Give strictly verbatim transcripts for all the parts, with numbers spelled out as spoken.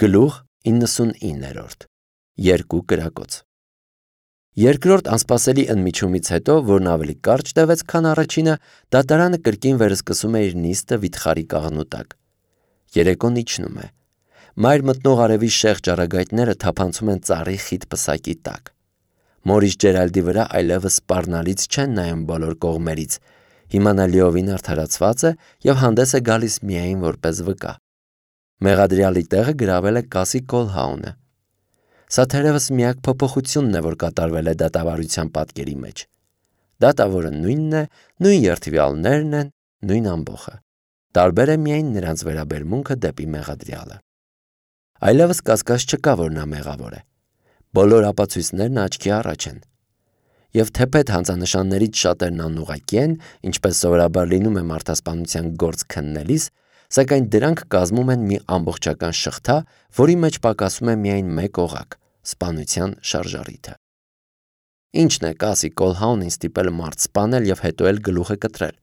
Գլուխ իննսունիններորդ Երկու կրակոց Երկրորդ անսպասելի ընդմիջումից հետո, որն ավելի կարճ տևեց, քան առաջինը, դատարանը կրկին վերսկսում է իր նիստը վիթխարի կաղնու տակ։ Երեկոն իջնում է։ Մայր մտնող արևի շեղ ճառագայթները թափանցում են ծառի խիտ պսակի տակ։ Մորիս Ջերալդի վրա այլևս սպառնալից չեն նայում բոլոր կողմերից։ Հիմա նա լիովին արդարացված է և հանդես է գալիս միայն որպես վկա։ Մեղադրյալի տեղը գրավել է Կասի Կոլհաունը։ Սա թերևս միակ փոփոխությունն է, որ կատարվել է դատավարության պատկերի մեջ։ Դատավորը նույնն է, նույն երթվյալներն են, նույն ամբոխը։ Տարբեր է միայն նրանց վերաբերմունքը դեպի մեղադրյալը։ Այլևս կասկած չկա, որ նա մեղավոր է։ Բոլոր ապացույցներն աչքի առաջ են։ Եվ թեպետ հանցանշաններից շատերն անուղղակի են, ինչպես սովորաբար լինում է մարդասպանության գործ քննելիս, սակայն դրանք կազմում են մի ամբողջական շղթա, որի մեջ պակասում է միայն մեկ օղակ՝ սպանության շարժառիթը։ Ինչն է Կասի Կոլհաունին ստիպել մարդ սպանել և հետո էլ գլուխը կտրել։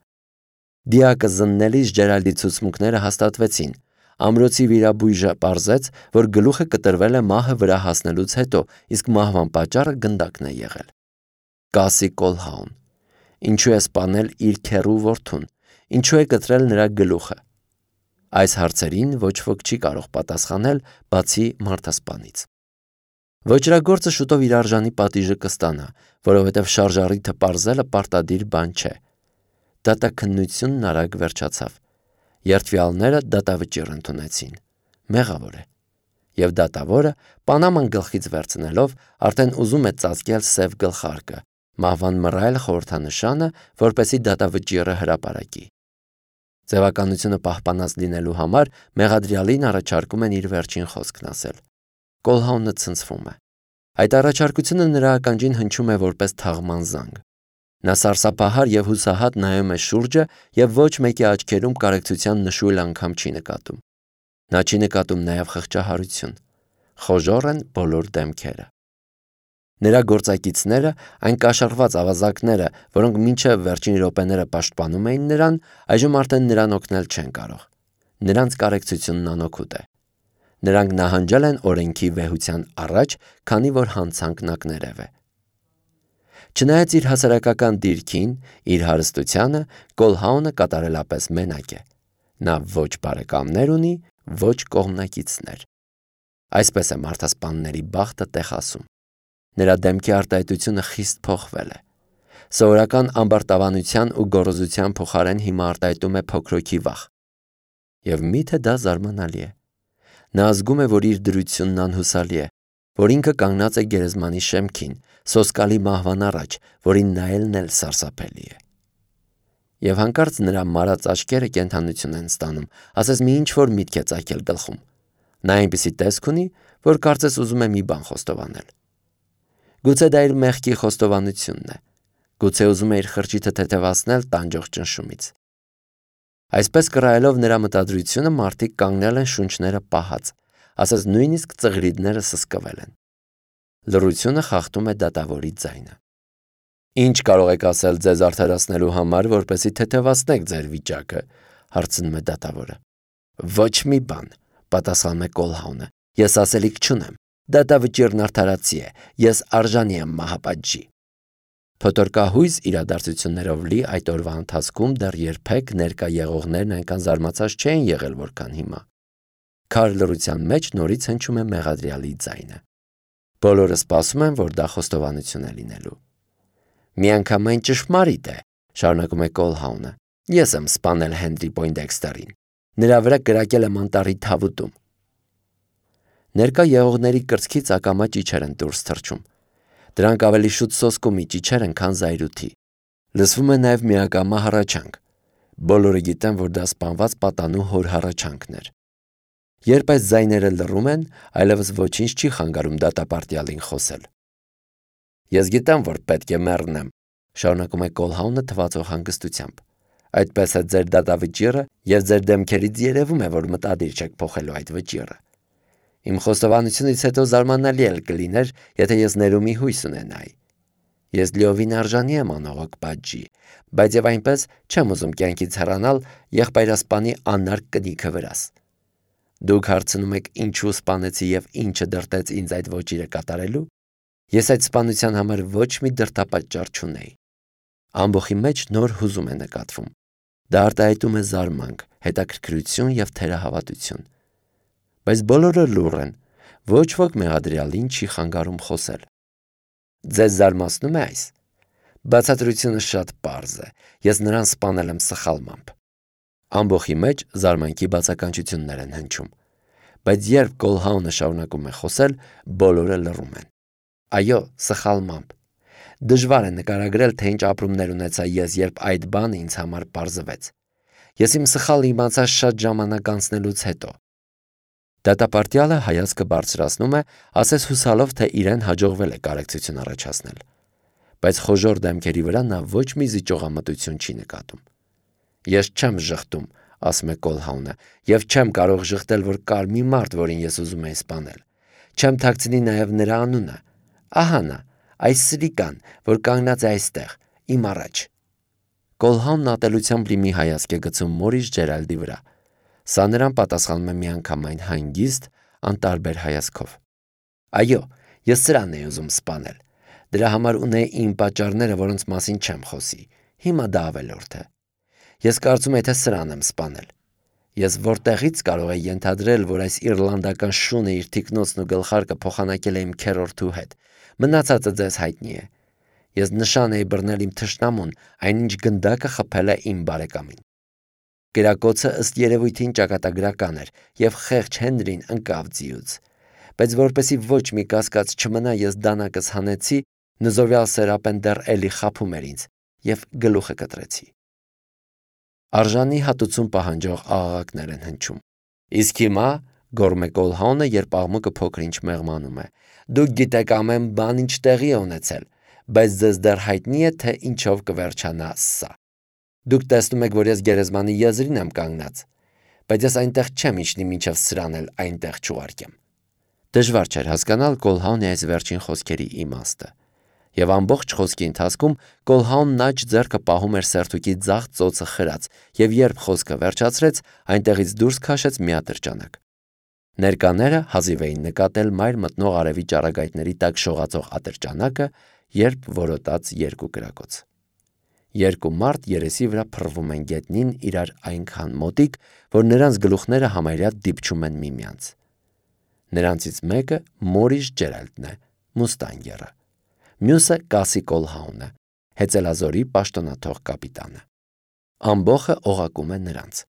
Դիակը զննելիս Ջերալդի ցուցմունքները հաստատվեցին։ Ամրոցի վիրաբույժը պարզեց, որ գլուխը կտրվել է մահը վրա հասնելուց հետո, իսկ մահվան պատճառը գնդակն է եղել։ Կասի Կոլհաուն։ Ինչու է սպանել իր քեռու որդուն։ Ինչու է կտրել նրա գլուխը։ Այս հարցերին ոչ ոք չի կարող պատասխանել, բացի մարդասպանից։ Ոճրագործը շուտով իր արժանի պատիժը կստանա, որովհետև շարժառիթը պարզելը պարտադիր բան չէ։ Դատաքննությունն արագ վերջացավ։ Երթվյալները դատավճիռ ընդունեցին։ Մեղավոր է։ Եվ դատավորը, Պանաման գլխից վերցնելով, արդեն ուզում է ծածկել սև գլխարկը, մահվան մռայլ խորհրդանշանը, որպեսզի դատավճիռը հրապարակի։ Ձևականությունը պահպանած լինելու համար մեղադրյալին առաջարկում են իր վերջին խոսքն ասել։ Կոլհաունը ցնցվում է։ Այդ առաջարկությունը նրա ականջին հնչում է որպես թաղման զանգ։ Նա սարսափահար և հուսահատ նայում է շուրջը և ոչ մեկի աչքերում կարեկցության նշույլ անգամ չի նկատում։ Նա չի նկատում նաև խղճահարություն։ Խոժոռ են բոլոր դեմքերը։ Նրա գործակիցները, այն կաշառված ավազակները, որոնք մինչև վերջին րոպեները պաշտպանում էին նրան, այժմ արդեն նրան օգնել չեն կարող։ Նրանց կարեկցությունն անօգուտ է։ Նրանք նահանջել են օրենքի վեհության առաջ, քանի որ հանցանքն ակներև է։ Չնայած իր հասարակական դիրքին, իր հարստությանը, Կոլհաունը կատարելապես մենակ է։ Նա ոչ բարեկամներ ունի, ոչ կողմնակիցներ։ Այսպես է մարդասպանների բախտը տեխասում։ Նրա դեմքի արտահայտությունը խիստ փոխվել է։ Սովորական ամբարտավանության ու գոռոզության փոխարեն հիմա արտահայտում է փոքրոքի վախ։ Եվ միթե դա զարմանալի է։ Նա զգում է, որ իր դրությունն անհուսալի է, որ ինքը կանգնած է գերեզմանի շեմքին, սոսկալի մահվան առաջ, որին նայելն էլ սարսափելի է։ Եվ հանկարծ նրա մարած աչքերը կենդանություն են ստանում, ասես մի ինչ-որ միտք է ծագել գլխում։ Նա այնպիսի տեսք ունի, որ կարծես ուզում է մի բան խոստովանել։ Գուցե դա իր մեղքի խոստովանությունն է։ Գուցե ուզում է իր խրճիթը թեթևացնել տանջող ճնշումից։ Այսպես կռայելով նրա մտադրությունը, մարդիկ կանգնել են շունչները պահած, ասես նույնիսկ ծղրիդները սսկվել են։ Լռությունը խախտում է դատավորի ձայնը։ Ինչ կարող եք ասել ձեզ արդարացնելու համար, որպեսզի թեթևացնեք ձեր վիճակը, հարցնում է դատավորը։ Ոչ մի բան, պատասխանում է Կոլհաունը։ Ես ասելիք չունեմ։ Դատավճիռն արդարացի է։ Ես արժանի եմ մահապատժի։ Փոթորկահույզ իրադարձություններով լի այդ օրվա ընթացքում դեռ երբեք ներկա եղողներն այնքան զարմացած չէին եղել, որքան հիմա։ Քար լռության մեջ նորից հնչում է մեղադրյալի ձայնը։ Բոլորը սպասում են, որ դա խոստովանություն է լինելու։ Միանգամայն ճշմարիտ է, շարունակում է Կոլհաունը։ Ես եմ սպանել Հենրի Պոյնդեքստերին։ Նրա վրա կրակել եմ անտառի թավուտում։ Ներկա եղողների կրծքից ակամա ճիչեր են դուրս թռչում։ Դրանք ավելի շուտ սոսկումի ճիչեր են, քան զայրույթի։ Լսվում է նաև միակամա հառաչանք։ Բոլորը գիտեն, որ դա սպանված պատանու հոր հառաչանքն էր։ Երբ այս ձայները լռում են, այլևս ոչինչ չի խանգարում դատապարտյալին խոսել։ Ես գիտեմ, որ պետք է մեռնեմ, շարունակում է Կոլհաունը թվացող հանգստությամբ։ Այդպես է ձեր դատավճիռը, և ձեր դեմքերից երևում է, որ մտադիր չեք փոխելու այդ վճիռը։ Իմ խոստովանությունից հետո զարմանալի էլ կլիներ, եթե ես ներումի հույս ունենայի։ Ես լիովին արժանի եմ անողոք պատժի, բայց եւ այնպես չեմ ուզում կյանքից հեռանալ եղբայրասպանի անարգ կնիքը վրաս։ Դուք հարցնում եք ինչու սպանեցի եւ ինչը դրտեց ինձ այդ ոճիրը կատարելու։ Ես այդ սպանության համար ոչ մի դրդապատճառ չունեի։ Ամբոխի մեջ նոր հուզում է նկատվում։ Դա արտահայտում է զարմանք, հետաքրքրություն եւ թերահավատություն։ Բայց բոլորը լուռ են, ոչ ոք մեղադրյալին չի խանգարում խոսել։ Ձեզ զարմացնում է այս։ Բացատրությունը շատ պարզ է։ Ես նրան սպանել եմ սխալմամբ։ Ամբոխի մեջ զարմանքի բացականչություններ են հնչում։ Բայց երբ Կոլհաունը շարունակում է խոսել, բոլորը լռում են։ Այո, սխալմամբ։ Դժվար է նկարագրել, թե ինչ ապրումներ ունեցա ես, երբ այդ բանը ինձ համար պարզվեց։ Ես իմ սխալը իմացա շատ ժամանակ անցնելուց հետո։ Դատապարտյալը հայացքը բարձրացնում է, ասես հուսալով, թե իրեն հաջողվել է կարեկցություն առաջացնել։ Բայց խոժոռ դեմքերի վրա նա ոչ մի զիջողամտություն չի նկատում։ Ես չեմ ժխտում, ասում է Կոլհաունը, եւ չեմ կարող ժխտել, որ կար մի մարդ, որին ես ուզում էի սպանել։ Չեմ թաքցնի նաեւ նրա անունը։ Ահա նա, այս սրիկան, որ կանգնած է այստեղ, իմ առաջ։ Կոլհաունն ատելությամբ լի մի հայացք է գցում Մորիս Ջերալդի վրա։ Սա նրան պատասխանում է միանգամայն հանգիստ, անտարբեր հայացքով։ Այո, ես սրան էի ուզում սպանել։ Դրա համար ունեի իմ պատճառները, որոնց մասին չեմ խոսի։ Հիմա դա ավելորդ է։ Ես կարծում եմ, թե սրան եմ սպանել։ Ես որտեղից կարող եի ենթադրել, որ այս իռլանդական շունը իր թիկնոցն ու գլխարկը փոխանակել է իմ քերորդու հետ։ Մնացածը ձեզ հայտնի է։ Ես նշան էի բռնել իմ թշնամուն, այնինչ գնդակը խփել է իմ բարեկամին։ Կերակոցը ըստ երևույթին ճակատագրական էր, եւ խեղճ Հենրին ընկավ ձիուց։ Բայց որպեսի ոչ մի կասկած չմնա, ես դանակս հանեցի, նզովյալ Սերապեն դեռ էլի խափում էր ինձ, եւ գլուխը կտրեցի։ Արժանի հատուցում պահանջող աղաղակներ են հնչում։ Իսկ հիմա գոռում է Կոլհաունը, երբ աղմուկը փոքր-ինչ մեղմանում է։ Դուք գիտեք ամեն բան ինչ տեղի է ունեցել, բայց ձեզ դեռ հայտնի է, թե ինչով կվերջանա սա։ Դուք տեսնում եք, որ ես գերեզմանի եզրին եմ կանգնած, բայց ես այնտեղ չեմ իջնի մինչև սրան էլ այնտեղ չուղարկեմ։ Դժվար չէր հասկանալ Կոլհաունի այս վերջին խոսքերի իմաստը։ Եվ ամբողջ խոսքի ընթացքում Կոլհաունն աջ ձեռքը պահում էր սերթուկի ձախ ծոցը խրած, եւ երբ խոսքը վերջացրեց, այնտեղից դուրս քաշեց մի ատրճանակ։ Ներկաները հազիվ էին նկատել մայր մտնող արևի ճառագայթների տակ շողացող ատրճանակը, երբ որոտաց երկու կրակոց։ Երկու մարդ երեսի վրա փռվում են գետնին իրար այնքան մոտիկ, որ նրանց գլուխները համարյա դիպչում են միմյանց։ Նրանցից մեկը Մորիս Ջերալդն է, մուստանգերը։ Մյուսը Կասի Կոլհաունը, հեծելազորի պաշտոնաթող կապիտանը։ Ամբոխը օղակում է նրանց։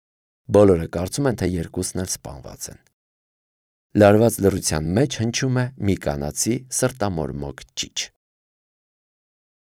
Բոլորը կարծում են, թե երկուսն էլ սպանված են։ Լարված լռության մեջ հնչում է մի կանացի սրտամորմոք ճիչ։